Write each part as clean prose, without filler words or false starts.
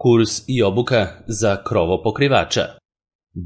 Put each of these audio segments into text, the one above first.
Kurs i obuka za krovopokrivača.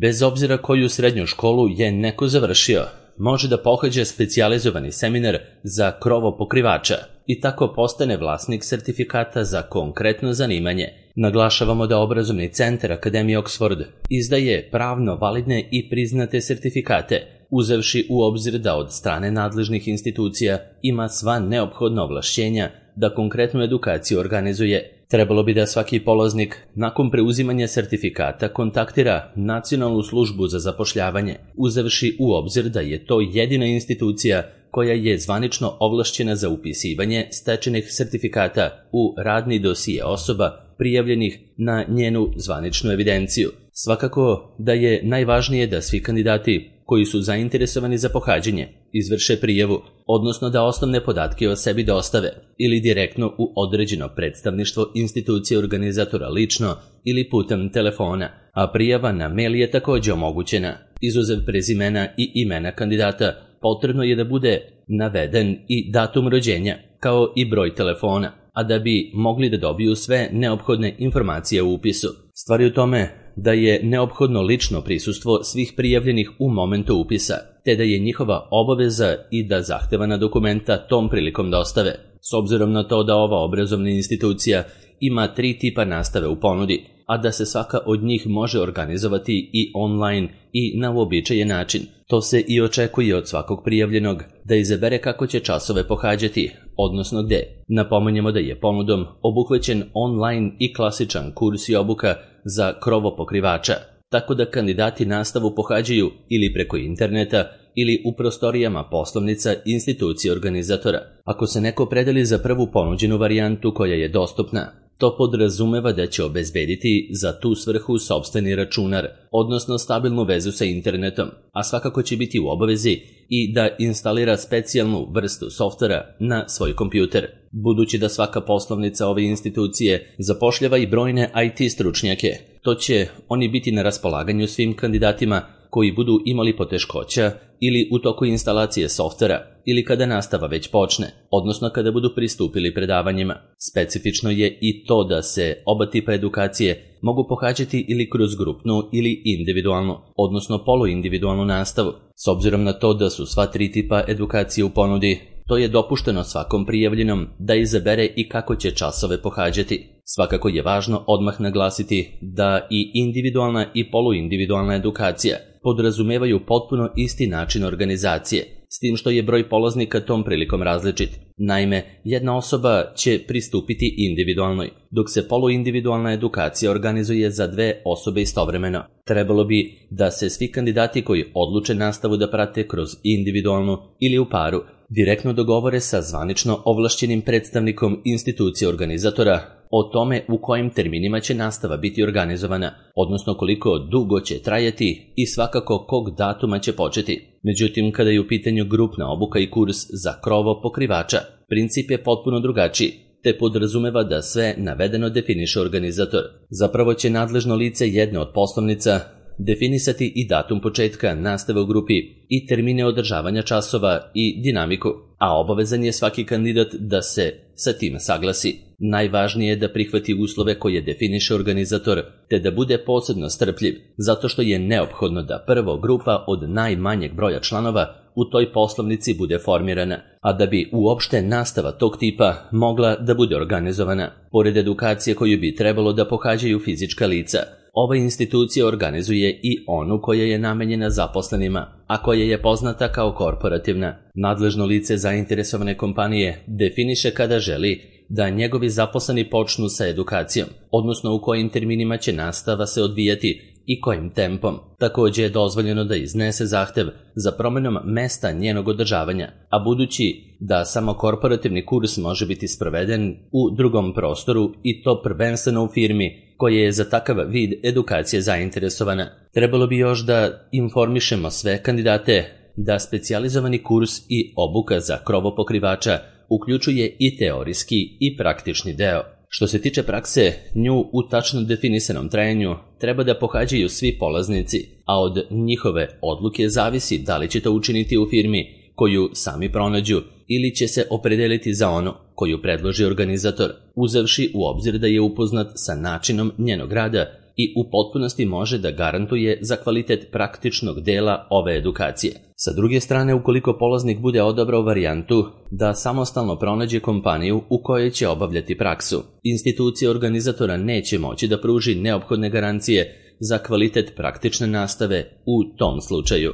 Bez obzira koju srednju školu je neko završio, može da pohađa specijalizovani seminar za krovopokrivača i tako postane vlasnik sertifikata za konkretno zanimanje. Naglašavamo da obrazovni centar Akademije Oxford izdaje pravno validne i priznate sertifikate, uzevši u obzir da od strane nadležnih institucija ima sva neophodna ovlašćenja da konkretnu edukaciju organizuje. Trebalo bi da svaki polaznik nakon preuzimanja sertifikata kontaktira Nacionalnu službu za zapošljavanje, uzevši u obzir da je to jedina institucija koja je zvanično ovlašćena za upisivanje stečenih sertifikata u radni dosije osoba prijavljenih na njenu zvaničnu evidenciju. Svakako da je najvažnije da svi kandidati koji su zainteresovani za pohađanje izvrše prijavu, odnosno da osnovne podatke o sebi dostave ili direktno u određeno predstavništvo institucije organizatora lično ili putem telefona, a prijava na mail je također omogućena. Izuzev prezimena i imena kandidata, potrebno je da bude naveden i datum rođenja, kao i broj telefona, a da bi mogli da dobiju sve neophodne informacije u upisu. Stvar je u tome da je neophodno lično prisustvo svih prijavljenih u momentu upisa, te da je njihova obaveza i da zahtevana dokumenta tom prilikom dostave. S obzirom na to da ova obrazovna institucija ima 3 tipa nastave u ponudi, a da se svaka od njih može organizovati i online i na uobičajen način, to se i očekuje od svakog prijavljenog da izabere kako će časove pohađati, odnosno gde. Napominjemo da je ponudom obuhvaćen online i klasičan kurs i obuka za krovopokrivača, tako da kandidati nastavu pohađaju ili preko interneta ili u prostorijama poslovnica institucije organizatora. Ako se neko predeli za prvu ponuđenu varijantu koja je dostupna, to podrazumeva da će obezbediti za tu svrhu sopstveni računar, odnosno stabilnu vezu sa internetom, a svakako će biti u obavezi i da instalira specijalnu vrstu softvera na svoj kompjuter. Budući da svaka poslovnica ove institucije zapošljava i brojne IT stručnjake, to će oni biti na raspolaganju svim kandidatima koji budu imali poteškoća ili u toku instalacije softvera ili kada nastava već počne, odnosno kada budu pristupili predavanjima. Specifično je i to da se oba tipa edukacije mogu pohađati ili kroz grupnu ili individualnu, odnosno poluindividualnu nastavu. S obzirom na to da su sva 3 tipa edukacije u ponudi, to je dopušteno svakom prijavljenom da izabere i kako će časove pohađati. Svakako je važno odmah naglasiti da i individualna i poluindividualna edukacija podrazumevaju potpuno isti način organizacije, s tim što je broj polaznika tom prilikom različit. Naime, jedna osoba će pristupiti individualnoj, dok se poluindividualna edukacija organizuje za 2 osobe istovremeno. Trebalo bi da se svi kandidati koji odluče nastavu da prate kroz individualnu ili u paru, direktno dogovore sa zvanično ovlašćenim predstavnikom institucije organizatora o tome u kojim terminima će nastava biti organizovana, odnosno koliko dugo će trajati i svakako kog datuma će početi. Međutim, kada je u pitanju grupna obuka i kurs za krovopokrivača, princip je potpuno drugačiji, te podrazumeva da sve navedeno definiše organizator. Zapravo će nadležno lice jedne od poslovnica definisati i datum početka nastave u grupi i termine održavanja časova i dinamiku, a obavezan je svaki kandidat da se sa tim saglasi. Najvažnije je da prihvati uslove koje definiše organizator, te da bude posebno strpljiv, zato što je neophodno da prvo grupa od najmanjeg broja članova u toj poslovnici bude formirana, a da bi uopšte nastava tog tipa mogla da bude organizovana. Pored edukacije koju bi trebalo da pohađaju fizička lica, ova institucija organizuje i onu koja je namenjena zaposlenima, a koja je poznata kao korporativna. Nadležno lice zainteresovane kompanije definiše kada želi da njegovi zaposleni počnu sa edukacijom, odnosno u kojim terminima će nastava se odvijati i kojim tempom. Također je dozvoljeno da iznese zahtev za promenom mesta njenog održavanja, a budući da samo korporativni kurs može biti sproveden u drugom prostoru i to prvenstveno u firmi koja je za takav vid edukacije zainteresovana, trebalo bi još da informišemo sve kandidate da specijalizovani kurs i obuka za krovopokrivača uključuje i teorijski i praktični deo. Što se tiče prakse, nju u tačno definisanom trajanju treba da pohađaju svi polaznici, a od njihove odluke zavisi da li će to učiniti u firmi koju sami pronađu ili će se opredeliti za onu koju predloži organizator, uzevši u obzir da je upoznat sa načinom njenog rada i u potpunosti može da garantuje za kvalitet praktičnog dela ove edukacije. Sa druge strane, ukoliko polaznik bude odabrao varijantu da samostalno pronađe kompaniju u kojoj će obavljati praksu, institucija organizatora neće moći da pruži neophodne garancije za kvalitet praktične nastave u tom slučaju.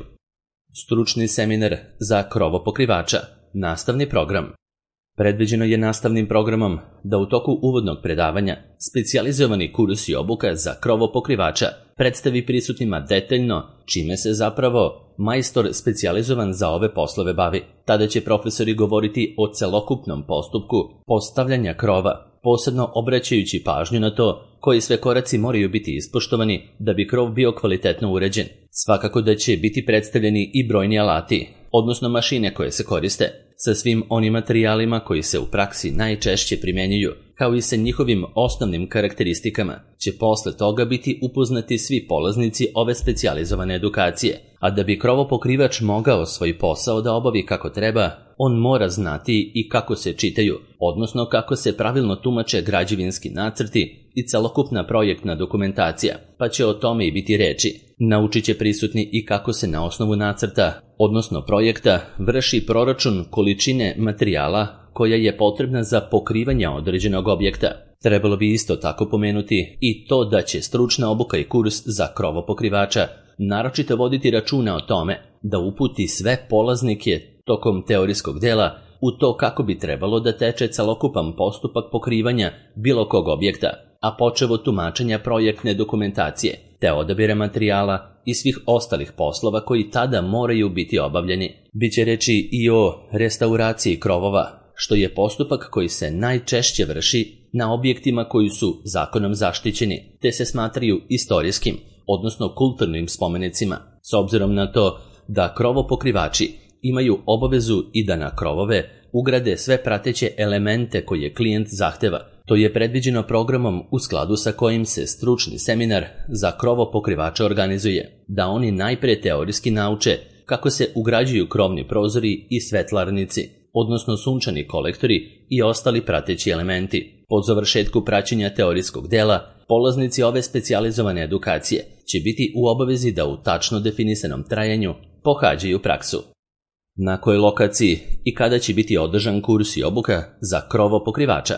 Stručni seminar za krovopokrivača. Nastavni program. Predviđeno je nastavnim programom da u toku uvodnog predavanja specijalizovani kurs i obuka za krovopokrivača predstavi prisutnima detaljno čime se zapravo majstor specijalizovan za ove poslove bavi. Tada će profesori govoriti o celokupnom postupku postavljanja krova, posebno obraćajući pažnju na to koji sve koraci moraju biti ispoštovani da bi krov bio kvalitetno uređen. Svakako da će biti predstavljeni i brojni alati, odnosno mašine koje se koriste, sa svim onim materijalima koji se u praksi najčešće primjenjuju, kao i sa njihovim osnovnim karakteristikama, će posle toga biti upoznati svi polaznici ove specijalizovane edukacije. A da bi krovopokrivač mogao svoj posao da obavi kako treba, on mora znati i kako se čitaju, odnosno kako se pravilno tumače građevinski nacrti i celokupna projektna dokumentacija, pa će o tome i biti reči. Naučit će prisutni i kako se na osnovu nacrta, odnosno projekta, vrši proračun količine materijala koja je potrebna za pokrivanje određenog objekta. Trebalo bi isto tako pomenuti i to da će stručna obuka i kurs za krovopokrivača naročito voditi računa o tome da uputi sve polaznike tokom teorijskog dela u to kako bi trebalo da teče celokupan postupak pokrivanja bilo kog objekta, a počev od tumačenja projektne dokumentacije, te odabira materijala i svih ostalih poslova koji tada moraju biti obavljeni. Biće reči i o restauraciji krovova, što je postupak koji se najčešće vrši na objektima koji su zakonom zaštićeni, te se smatraju istorijskim, odnosno kulturnim spomenicima, s obzirom na to da krovopokrivači imaju obavezu i da na krovove ugrade sve prateće elemente koje klijent zahteva. To je predviđeno programom u skladu sa kojim se stručni seminar za krovopokrivača organizuje, da oni najpre teorijski nauče kako se ugrađuju krovni prozori i svetlarnici, odnosno sunčani kolektori i ostali prateći elementi. Po završetku praćenja teorijskog dela, polaznici ove specijalizovane edukacije će biti u obavezi da u tačno definisanom trajanju pohađaju praksu. Na kojoj lokaciji i kada će biti održan kurs i obuka za krovopokrivača?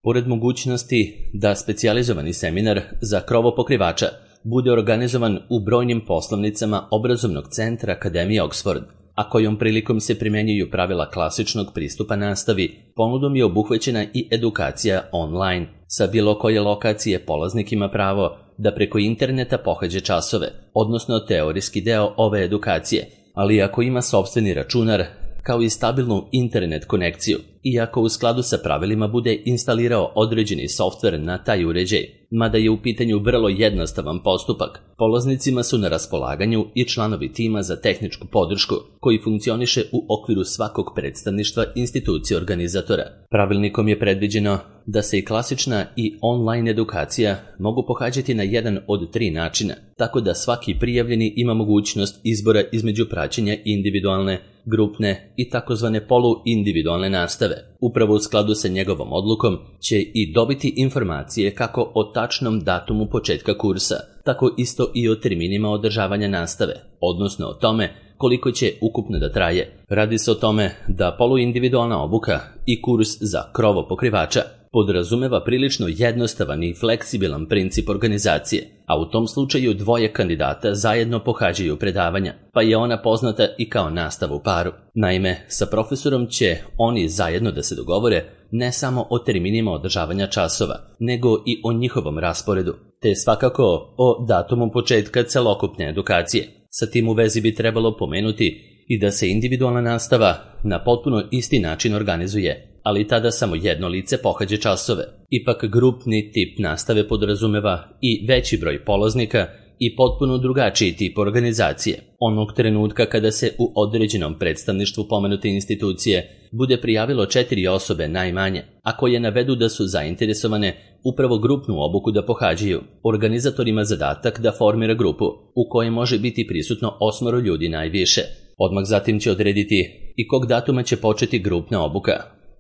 Pored mogućnosti da specijalizovani seminar za krovopokrivača bude organizovan u brojnim poslovnicama obrazovnog centra Akademije Oxford, a kojom prilikom se primenjuju pravila klasičnog pristupa nastavi, ponudom je obuhvaćena i edukacija online. Sa bilo koje lokacije polaznik ima pravo da preko interneta pohađa časove, odnosno teorijski deo ove edukacije, ali ako ima sopstveni računar, kao i stabilnu internet konekciju, i ako u skladu sa pravilima bude instalirao određeni softver na taj uređaj, mada je u pitanju vrlo jednostavan postupak. Polaznicima su na raspolaganju i članovi tima za tehničku podršku, koji funkcioniše u okviru svakog predstavništva institucije organizatora. Pravilnikom je predviđeno da se i klasična i online edukacija mogu pohađati na jedan od 3 načina, tako da svaki prijavljeni ima mogućnost izbora između praćenja individualne, grupne i takozvane poluindividualne nastave. Upravo u skladu sa njegovom odlukom će i dobiti informacije kako o tačnom datumu početka kursa, tako isto i o terminima održavanja nastave, odnosno o tome koliko će ukupno da traje. Radi se o tome da poluindividualna obuka i kurs za krovopokrivača podrazumeva prilično jednostavan i fleksibilan princip organizacije, a u tom slučaju 2 kandidata zajedno pohađaju predavanja, pa je ona poznata i kao nastava u paru. Naime, sa profesorom će oni zajedno da se dogovore ne samo o terminima održavanja časova, nego i o njihovom rasporedu, te svakako o datumu početka celokupne edukacije. Sa tim u vezi bi trebalo pomenuti i da se individualna nastava na potpuno isti način organizuje, ali tada samo jedno lice pohađa časove. Ipak grupni tip nastave podrazumeva i veći broj polaznika i potpuno drugačiji tip organizacije. Onog trenutka kada se u određenom predstavništvu pomenute institucije bude prijavilo 4 osobe najmanje, a koje navedu da su zainteresovane upravo grupnu obuku da pohađaju, organizator ima zadatak da formira grupu u kojoj može biti prisutno 8 ljudi najviše. Odmah zatim će odrediti i kog datuma će početi grupna obuka,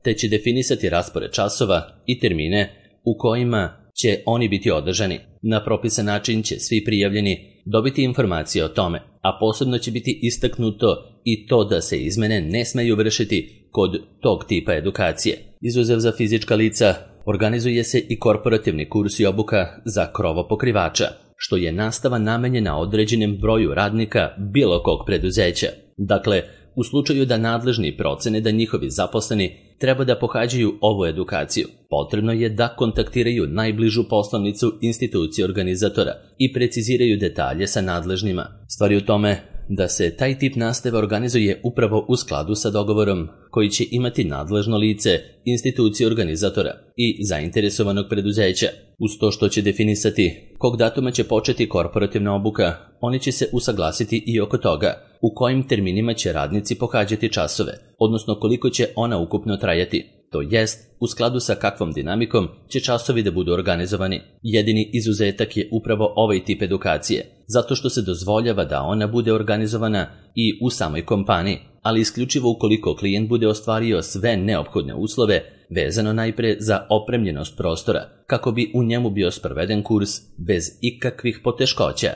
te će definisati raspored časova i termine u kojima će oni biti održani. Na propisan način će svi prijavljeni dobiti informacije o tome, a posebno će biti istaknuto i to da se izmene ne smeju vršiti kod tog tipa edukacije. Izuzev za fizička lica, organizuje se i korporativni kurs i obuka za krovopokrivača, što je nastava namenjena određenom broju radnika bilo kog preduzeća. Dakle, u slučaju da nadležni procene da njihovi zaposleni treba da pohađaju ovu edukaciju, potrebno je da kontaktiraju najbližu poslovnicu institucije organizatora i preciziraju detalje sa nadležnima. Stvar je u tome da se taj tip nastave organizuje upravo u skladu sa dogovorom koji će imati nadležno lice institucije organizatora i zainteresovanog preduzeća. Uz to što će definisati kog datuma će početi korporativna obuka, oni će se usaglasiti i oko toga u kojim terminima će radnici pohađati časove, odnosno koliko će ona ukupno trajati. To jest, u skladu sa kakvom dinamikom će časovi da budu organizovani. Jedini izuzetak je upravo ovaj tip edukacije, zato što se dozvoljava da ona bude organizovana i u samoj kompaniji, ali isključivo ukoliko klijent bude ostvario sve neophodne uslove vezano najpre za opremljenost prostora, kako bi u njemu bio sproveden kurs bez ikakvih poteškoća.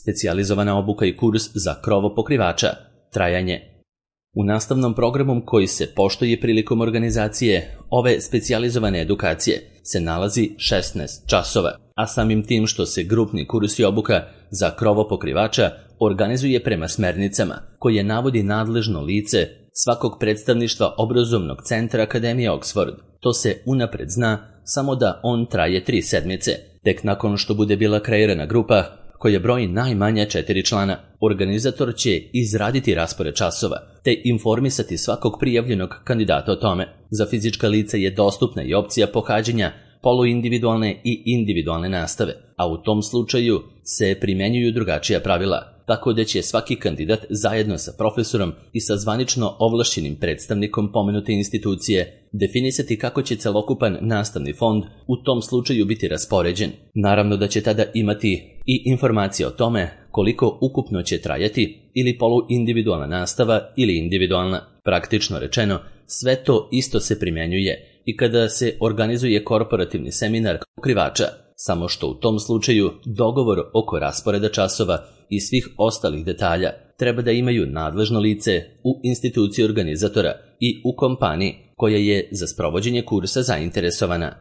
Specijalizovana obuka i kurs za krovopokrivača. Trajanje. U nastavnom programu koji se poštuje prilikom organizacije ove specijalizovane edukacije se nalazi 16 časova, a samim tim što se grupni kurs i obuka za krovopokrivača organizuje prema smernicama koje navodi nadležno lice svakog predstavništva obrazovnog centra Akademije Oxford. To se unapred zna, samo da on traje 3 sedmice. Tek nakon što bude bila kreirana grupa koja broji najmanje 4 člana, organizator će izraditi raspored časova te informisati svakog prijavljenog kandidata o tome. Za fizička lica je dostupna i opcija pohađanja poluindividualne i individualne nastave, a u tom slučaju se primenjuju drugačija pravila, tako da će svaki kandidat zajedno sa profesorom i sa zvanično ovlašćenim predstavnikom pomenute institucije definisati kako će celokupan nastavni fond u tom slučaju biti raspoređen. Naravno da će tada imati i informacije o tome koliko ukupno će trajati ili poluindividualna nastava ili individualna. Praktično rečeno, sve to isto se primjenjuje i kada se organizuje korporativni seminar pokrivača, samo što u tom slučaju dogovor oko rasporeda časova i svih ostalih detalja treba da imaju nadležno lice u instituciji organizatora i u kompaniji koja je za sprovođenje kursa zainteresovana.